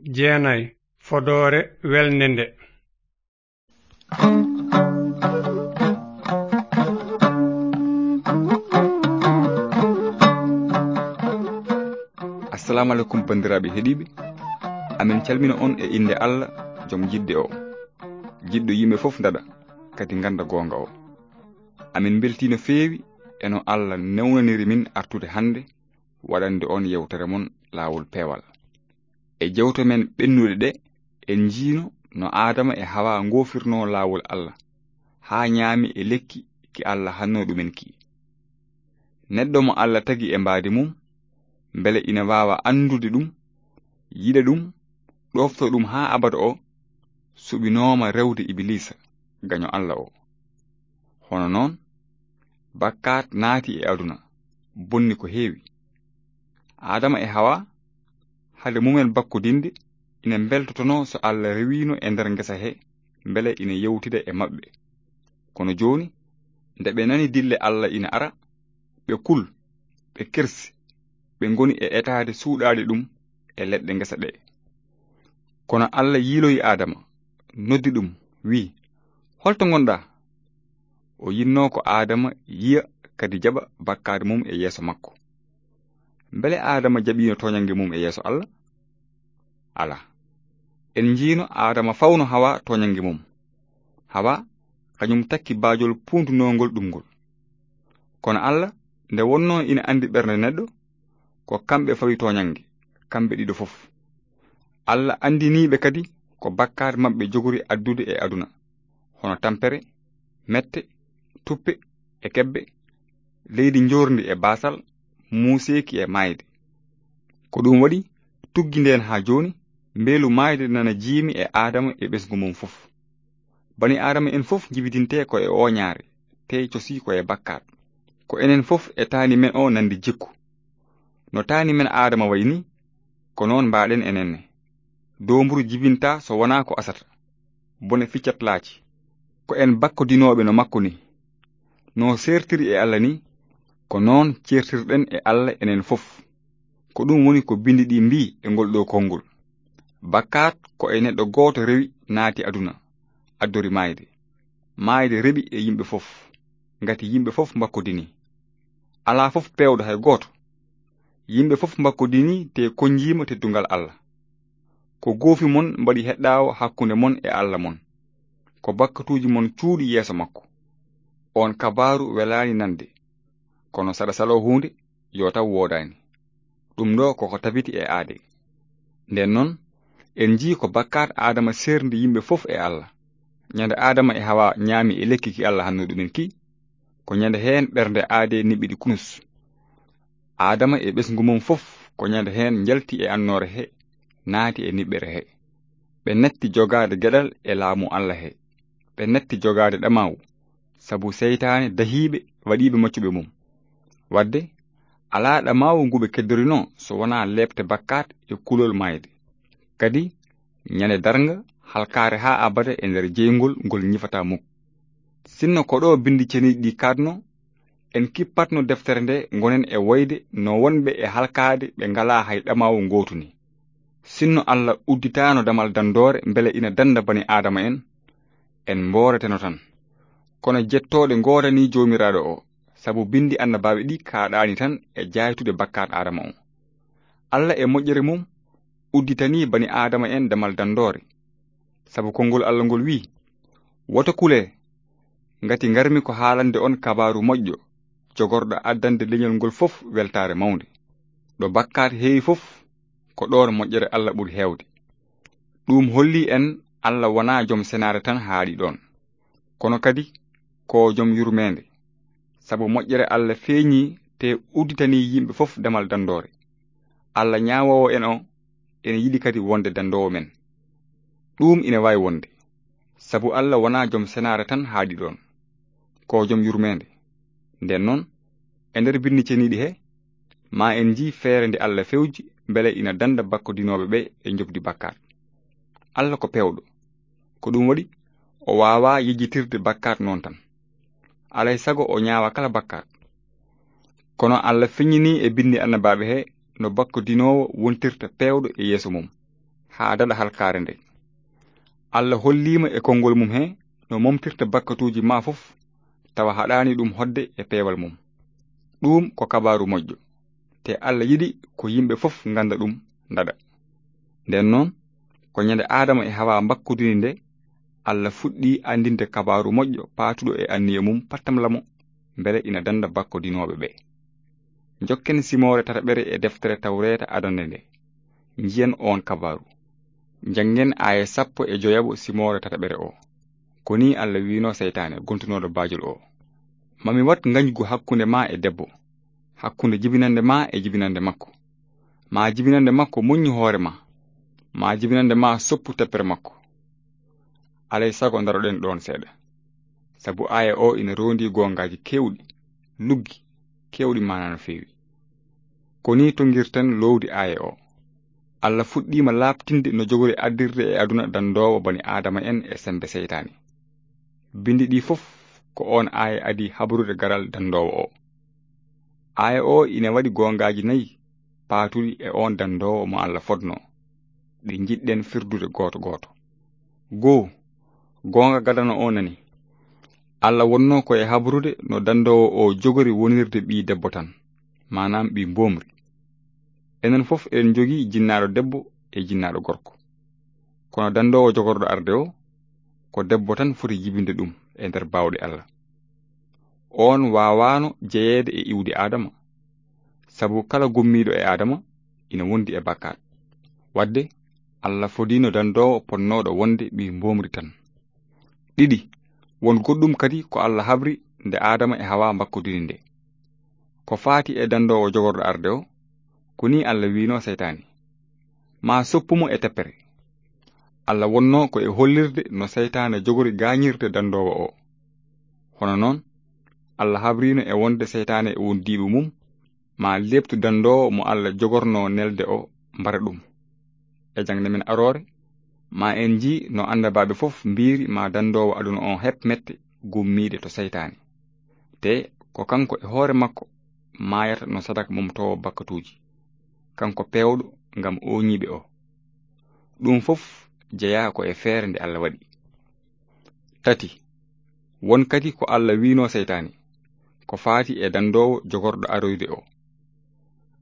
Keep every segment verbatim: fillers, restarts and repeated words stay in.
Jeenay, fodoore welnde nde. Assalamu alaikum, banndiraaɓe heɗiiɓe. Amin calmina on e innde Allah, jom jiɗde o, jiɗɗo yimɓe fof ndaɗa, kadi ngannda goonga o. Amin mbeltii no feewi e no Allah newnaniri min artude hannde waɗande on yewtere mon Laawol Peewal. E jewte men ɓennuɗe ɗe, en njiino no Aadama e Hawa ngoofirnoo laawol Allah, haa ñaami e lekki ki Allah hannoo ɗumen ki. Neɗɗo mo Allah tagi e mbaadi mum, mbele ina waawa anndude ɗum, yiɗa ɗum, ɗoftoo ɗum haa abada o, suɓinooma rewde Ibiliisa, gaño Allah o. Hono noon, bakkaat naati e aduna, bonni ko heewi. Aadama e Hawa, hade mumen bakkodinde, ina mbeltotonoo so Allah rewiino e nder ngesa he, mbele ina yewtida e maɓɓe. Kono jooni, nde ɓe nani dille Allah ina ara, ɓe kul, ɓe kersi, ɓe ngoni e etaade suuɗaade ɗum e leɗɗe ngesa ɗe. Kono Allah yiiloyi Aadama, noddi ɗum, wi'i, "Holto ngonɗaa?" O yinnoo ko Aadama yiya kadi jaɓa bakkaade mum e yeeso makko. Mbele Aadama jaɓiino tooñannge mum e yeeso Allah? Alaa. En njiino Aadama fawno Hawa tooñannge mum. Hawa, kañum takki baajol puundunoongol ɗum ngol. Kono Allah, nde wonnoo ina anndi ɓernde neɗɗo, ko kamɓe fawi tooñannge, kamɓe ɗiɗo fof. Allah anndiniiɓe kadi ko bakkaat maɓɓe jogori addude e aduna, hono tampere, mette, tuppe e kebbe, leydi njoorndi e baasal, muuseeki e maayde. Ko ɗum waɗi, tuggi ndeen haa jooni, mbeelu maayde nana jiimi e Aadama e ɓesngu mum fof. Bani Aadama en fof njibidintee ko e ooñaare, tee cosii ko e bakkaat. Ko enen fof e taani men o nandi jikku. No taani men Aadama wayi ni, ko noon mbaaɗen enen ne. Doomburu jibintaa so wonaa ko asata. Bone ficcat laaci. Ko en bakkodinooɓe no makko ni. No seertiri e Allah ni, ko noon ceertirɗen e Allah enen fof. Ko ɗum woni ko binndi ɗi mbii e ngol ɗo konngol. Bakkaat ko e neɗɗo gooto rewi naati aduna, addori maayde. Maayde reɓi e yimɓe fof, ngati yimɓe fof mbakkodini. Alaa fof peewɗo hay gooto. Yimɓe fof mbakkodini te konnjiima teddungal Allah. Ko goofi mon mbaɗi heɗɗaawo hakkunde mon e Allah mon. Ko bakkatuuji mon cuuɗi yeeso makko. On kabaaru welaani nande. Kono saɗa saloo huunde, yo taw woodaani. Ɗum ɗo koko tabiti e aade. Nden noon, en njii ko bakkaat Aadama seerndi yimɓe fof e Allah. Ñande Aadama e Hawa ñaami e lekki ki Allah hanno ɗumen ki, ko ñande heen ɓernde aade niɓɓiɗi kunus. Aadama e ɓesngu mum fof ko ñande heen njalti e annoore he, naati e niɓɓere he. Ɓe natti jogaade geɗal e laamu Allah he. Ɓe natti jogaade ɗamaawu, sabu seytaane dahiiɓe waɗiiɓe maccuɓe mum. Wadde, alaa ɗamaawu ngu ɓe keddorinoo so wonaa leepte bakkaat e kulol maayde. Kadi, ñande darnga, halkaare haa abada e nder jeyngol ngol ñifataa muk. Sinno ko ɗo binndi ceniiɗi ɗi kaatno, en kippatno deftere nde ngonen e woyde no wonɓe e halkaade ɓe ngalaa hay ɗamaawu ngootu ni. Sinno Allah udditaano damal danndoore mbele ina dannda bani Aadama en, en mbooreteno tan. Kono jettooɗe ngoodanii Joomiraaɗo o, sabu binndi annabaaɓe ɗi kaaɗaani tan e jaaytude bakkaat Aadama o. Allah e moƴƴere mum udditanii bani Aadama en damal danndoore. Sabu konngol Allah ngol wi'i, "Woto kulee, ngati ngarmi ko haalande on kabaaru moƴƴo, jogorɗo addande leñol ngol fof weltaare mawnde." Ɗo bakkaat heewi fof, ko ɗoon moƴƴere Allah ɓuri heewde. Ɗum holli en Allah wonaa jom senaare tan haaɗi ɗoon, kono kadi ko jom yurmeende. Sabu moƴƴere Allah feeñii te udditanii yimɓe fof damal danndoore. Allah ñaawoowo en o, ene yiɗi kadi wonde danndoowo men. Ɗum ine waawi wonde, sabu Allah wonaa jom senaare tan haaɗi ɗoon. Ko jom yurmeende. Nden noon, e nder binndi ceniiɗi he, ma en njii feere nde Allah fewji mbele ina dannda bakkodinooɓe ɓe e njoɓdi bakkaat. Allah ko peewɗo. Ko ɗum waɗi, o waawaa yejjitirde bakkaat noon tan. Alay sago o ñaawa kala bakkaat. Kono Allah feññinii e binndi annabaaɓe he no bakkodinoowo wontirta peewɗo e yeeso mum. haa daɗa halkaare nde. Allah holliima e konngol mum he no momtirta bakkatuuji ma fof, tawa haɗaani ɗum hoɗde e peewal mum. Ɗum ko kabaaru moƴƴo, te Allah yiɗi ko yimɓe fof ngannda ɗum, ndaɗa. Nden noon, ko ñande Aadama e Hawa mbakkudini nde, Allah fuɗɗi anndinde kabaaru moƴƴo paatuɗo e anniya mum pattamlamo, mbele ina dannda bakkodinooɓe ɓe. Njokken simoore tataɓere e deftere Tawreeta adannde nde. Njiyen oon kabaaru. Njanngen aaya sappo e joyaɓo simoore tataɓere o. Ko nii Allah wiino seytaane gontunooɗo baajol o: "Ma mi waɗ ngañgu hakkunde ma e debbo, hakkunde jibinande ma e jibinande makko. Ma jibinande makko moññu hoore ma, ma jibinande ma soppu teppere makko." Alay sago ndaroɗen ɗoon seeɗa. Sabu aaya o ina roondi goongaaji keewɗi, luggi, keewɗi maanaa no feewi. Ko nii tonngirten loowdi aaya o. Allah fuɗɗiima laaɓtinde no jogori addirde e aduna danndoowo bani Aadama en e semmbe seytaane. Binndi ɗi fof ko oon aaya adii habrude garal danndoowo o. Aaya o ina waɗi goongaaji nayi paatuɗi e oon danndoowo mo Allah fodnoo. Ɗi njiɗɗen firdude gooto gooto. Goo, goonga gadano o nani. Allah wonnoo ko e habrude no danndoowo o jogori wonirde ɓii debbo tan, maanaam ɓii mboomri. Enen fof eɗen njogii jinnaaɗo debbo e jinnaaɗo gorko. Kono danndoowo jogorɗo arde o, ko debbo tan foti jibinde ɗum e nder baawɗe Allah. Oon waawaano jeyeede e iwdi Aadama, sabu kala gummiiɗo e Aadama ina wondi e bakkaat. Waɗde, Allah fodiino danndoowo potnooɗo wonde ɓii mboomri tan. Ɗiɗi, won goɗɗum kadi ko Allah habri nde Aadama e Hawa mbakkodiri nde. Ko faati e danndoowo jogorɗo arde o, ko nii Allah wiino seytaane: "Ma soppu mo e teppere." Allah wonnoo ko e hollirde no seytaane jogori gaañirde danndoowo o. Hono noon, Allah habriino e wonde seytaane e wondiiɓe mum ma leeptu danndoowo mo Allah jogornoo nelde o, mbara ɗum. E jaŋde men aroore, ma en njii no annabaaɓe fof mbiiri ma danndoowo aduna o heɓ mette gummiiɗe to seytaane. Te ko kanko e hoore makko maayata no sadak momtoowo bakkatuuji, kanko peewɗo ngam ooñiiɓe o. Ɗum fof jeyaa ko e feere nde Allah waɗi. Tati, won kadi ko Allah wiinoo seytaane, ko faati e danndoowo jogorɗo aroyde o.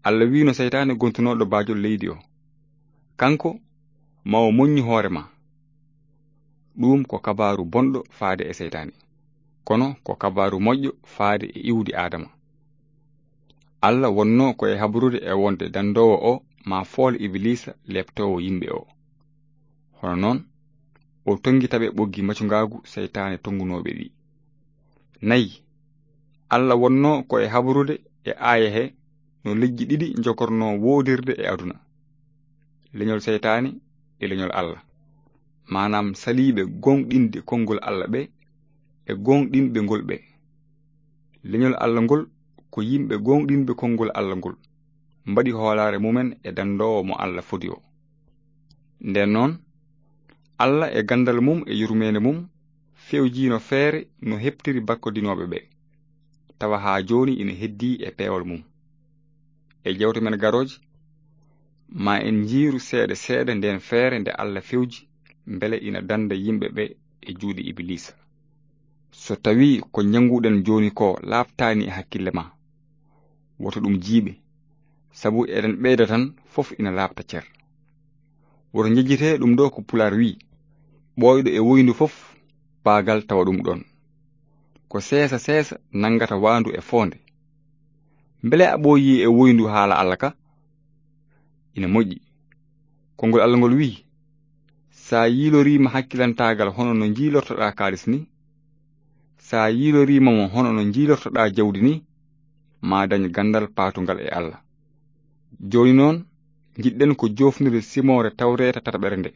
Allah wiino seytaane gontunooɗo baajol leydi o, kanko ma o moññu hoore ma. Ɗum ko kabaaru bonɗo faade e seytaane, kono ko kabaaru moƴƴo faade e iwdi Aadama. Allah wonnoo ko e habrude e wonde danndoowo o ma fool Ibiliisa leeptoowo yimɓe o. Hono noon, o tonngi taɓe ɓoggi macungaagu seytaane tonngunooɓe ɗi. Nayi, Allah wonnoo ko e habrude e aaya he no leƴƴi ɗiɗi njogornoo woodirde e aduna: leñol seytaane e leñol Allah, maanaam saliiɓe gooŋɗinde konngol Allah ɓe e gooŋɗinɓe ngol ɓe. Leñol Allah ngol ko yimɓe gooŋɗinɓe konngol Allah ngol mbaɗi hoolaare mumen e danndoowo mo Allah fodi o. Nden noon, Allah e ganndal mum e yurmeende mum fewjiino feere no heɓtiri bakkodinooɓe ɓe, tawa haa jooni ina heddii e peewal mum. E jewte men garooje, ma en njiiru seeɗa seeɗa ndeen feere nde Allah fewji mbele ina dannda yimɓe ɓe e juuɗe Ibiliisa. So tawii ko njannguɗen jooni ko laaɓtaani e hakkille ma, woto ɗum jiiɓe, sabu eɗen ɓeyda tan, fof ina laaɓta cer. Woto njejjitee ɗum ɗo ko Pulaar wiyi: "Ɓooyɗo e woyndu fof, baagal tawa ɗum ɗoon. Ko seesa seesa nanngata waandu e foonde." Mbele a ɓooyii e woyndu haala Allah ka? Ina moƴƴi. Konngol Allah ngol wiyi: "Sa yiiloriima hakkilantaagal hono no njiilortoɗaa kaalis ni, sa yiiloriima mo hono no njiilortoɗaa jawdi ni, ma dañ ganndal paatungal e Allah." Jooni noon, njiɗɗen ko joofnude simoore Tawreeta tataɓere nde.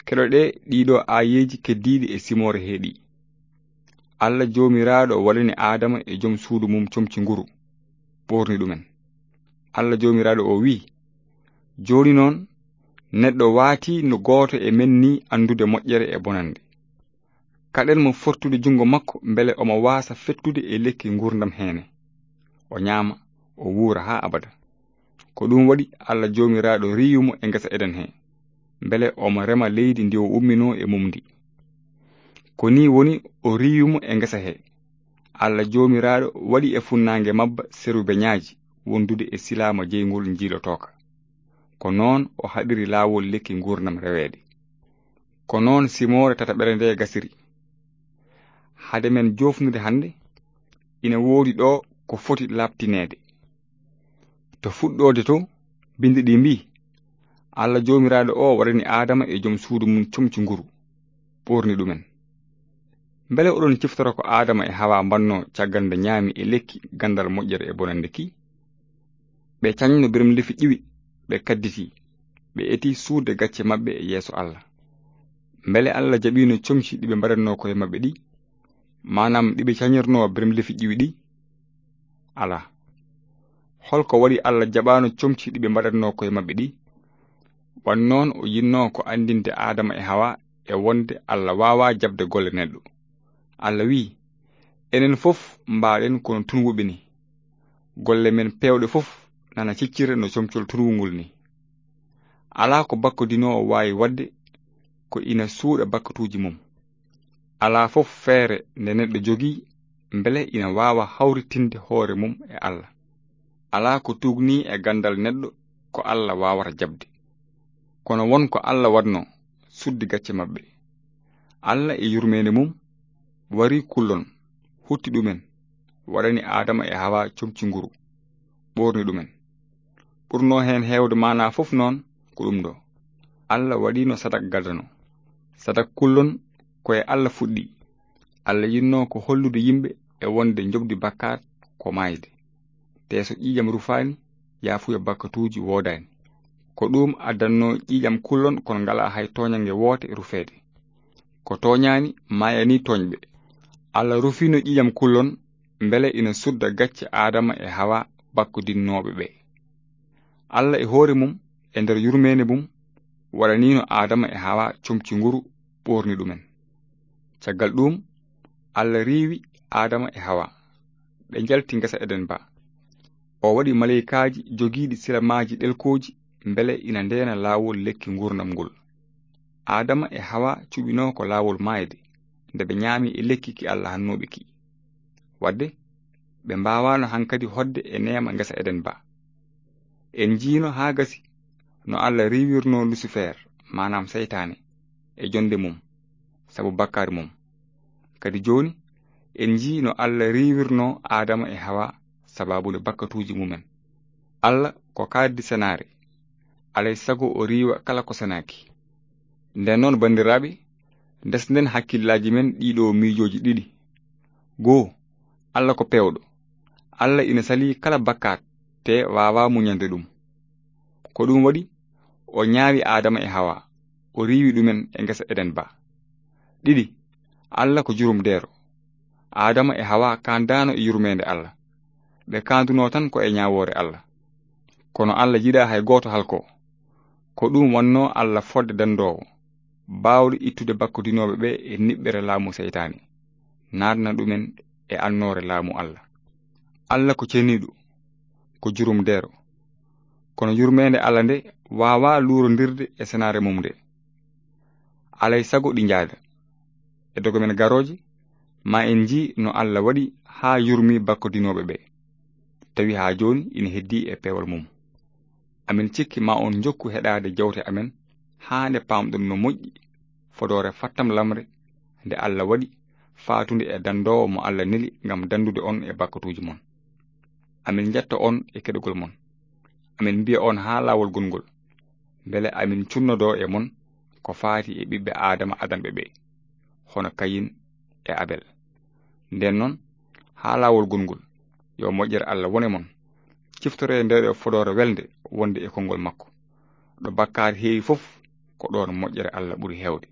Keɗoɗee ɗiɗo aayeeji keddiiɗi e simoore hee ɗi. Allah Joomiraaɗo waɗani Aadama e jom suudu mum comci nguru, ɓoorni ɗumen. Allah Joomiraaɗo o wiyi: "Jooni noon, neɗɗo waatii no gooto e men ni anndude moƴƴere e bonannde. Kaɗen mo fortude junngo makko mbele omo waasa fettude e lekki nguurndam heene. O ñaama, o wuura haa abada." Ko ɗum waɗi Allah Joomiraaɗo riiwi mo e ngesa Eden he. mbele omo rema leydi ndi o umminoo e mum ndi. Ko nii woni o riiwi mo e ngesa hee. Alla Joomiraaɗo waɗi e funnaange mabba serubeñaaji wondude e silaama jeyngol njiilotooka. Ko noon o haɗiri laawol lekki nguurndam reweede. Ko noon simoore tataɓere ndee gasiri. Hade men joofnude hannde, ina woodi ɗo ko foti laaɓtineede. To fuɗɗoode to, binndi ɗi mbii, Alla Joomiraaɗo o waɗani Aadama e jom suudu mum comci nguru, ɓoorni ɗumen. Mbele oɗon ciftora ko Aadama e Hawa mbannoo caggal nde ñaami e lekki ganndal moƴƴere e bonannde ki? Ɓe cañno birmlefi ƴiwi, ɓe kadditi, ɓe eti suuɗde gacce maɓɓe e yeeso Alla. Mbele Alla jaɓiino comci ɗi ɓe mbaɗatnoo koye maɓɓe ɗi, maanaam ɗi ɓe cañirnoo birmlefi ƴiwi ɗi? Alaa. Hol ko waɗi Alla jaɓaano comci ɗi ɓe mbaɗatnoo koye maɓɓe ɗi? Wan noon o yinnoo ko anndinde Aadama e Hawa e wonde Alla waawaa jaɓde golle neɗɗo. Alla wiyi, enen fof mbaaɗen kono tunwuɓe ni. Golle men peewɗe fof nana ciccira no comcol tunwungol ni. Alaa ko bakkodinoowo waawi waɗde ko ina suuɗa bakkatuuji mum. Alaa fof feere nde neɗɗo jogii mbele ina waawa hawritinde hoore mum e Alla. Alaa ko tuugnii e ganndal neɗɗo ko Alla waawata jaɓde. Kono won ko Alla waɗnoo suddi gacce maɓɓe. Alla e yurmeende mum wari kullon, hutti ɗumen, waɗani Aadama e Hawa comci nguru, ɓoorni ɗumen. Ɓurnoo heen heewde maanaa fof noon ko ɗum ɗo. Alla waɗiino sadak gadano. Sadak kullon ko e Alla fuɗɗii. Alla yinnoo ko hollude yimɓe e wonde njoɓdi bakkaat ko maayde. Tee so ƴiiƴam rufaani, yaafuya bakkatuuji woodaani. Ko ɗum addannoo ƴiiƴam kullon kono ngalaa hay tooñannge woote rufeede. Ko tooñaani maayanii tooñɓe. Alla rufiino ƴiiƴam kullon mbele ina sudda gacce Aadama e Hawa bakkodinnooɓe ɓe. Alla e hoore mum, e nder yurmeende mum, waɗaniino Aadama e Hawa comci nguru ɓoorni ɗumen. Caggal ɗum, Alla riiwi Aadama e Hawa. Ɓe njalti ngesa Eden ba. O waɗi maleykaaji jogiiɗi silamaaji ɗelkooji mbele ina ndeena laawol lekki nguurndam ngol. Aadama e Hawa cuɓinoo ko laawol maayde nde ɓe ñaami e lekki ki Alla hannooɓe ki. Waɗde, ɓe mbaawaano hankadi hoɗde e neema ngesa Eden ba. En njiino haa gasi no Alla riiwirnoo Lusifer, maanaam seytaane, e jonnde mum, sabu bakkaari mum. Kadi jooni, en njii no Alla riiwirnoo Aadama e Hawa sabaabu nde bakkatuuji mumen. Alla ko kaaddi senaare, alay sago o riiwa kala ko senaaki. Nden noon, banndiraaɓe, ndesnden hakkillaaji men ɗiɗo miijooji ɗiɗi. Goo, Alla ko peewɗo. Alla ina salii kala bakkaat, te waawaa muñande ɗum. Ko ɗum waɗi, o ñaawi Aadama e Hawa, o riiwi ɗumen e ngesa Eden ba. Ɗiɗi, Alla ko jurumdeero. Aadama e Hawa kaandaano e yurmeende Alla. Ɓe kaandunoo tan ko e ñaawoore Alla. Kono Alla yiɗaa hay gooto halkoo. Ko ɗum wonnoo Alla fodde danndoowo, baawɗo ittude bakkodinooɓe ɓe e niɓɓere laamu seytaane, naatna ɗumen e annoore laamu Alla. Alla ko ceniiɗo, ko jurumdeero. Kono yurmeende Alla nde waawaa luurondirde e senaare mum nde. Alay sago ɗi njaada. E dogo men garooje, ma en njii no Alla waɗi haa yurmi bakkodinooɓe ɓe, tawi haa jooni ina heddii e peewal mum. Amin cikki ma on njokku heɗaade jawte amen haa nde paamɗon no moƴƴi fodoore fattam lamre nde Alla waɗi faatunde e danndoowo mo Alla neli ngam danndude on e bakkatuuji mon. Amin njetta on e keɗugol mon. Amin mbiya on haa laawol gongol, mbele amin cunnodoo e mon ko faati e ɓiɓɓe Aadama adanɓe ɓe, hono Kayin e Abel. Nden noon, haa laawol gongol, yo moƴƴere Alla wone mon. Ciftoree ndeeɗo fodoore welnde wonde e konngol makko. Ɗo bakkaar heewi fof, ko ɗoon moƴƴere Alla ɓuri heewde.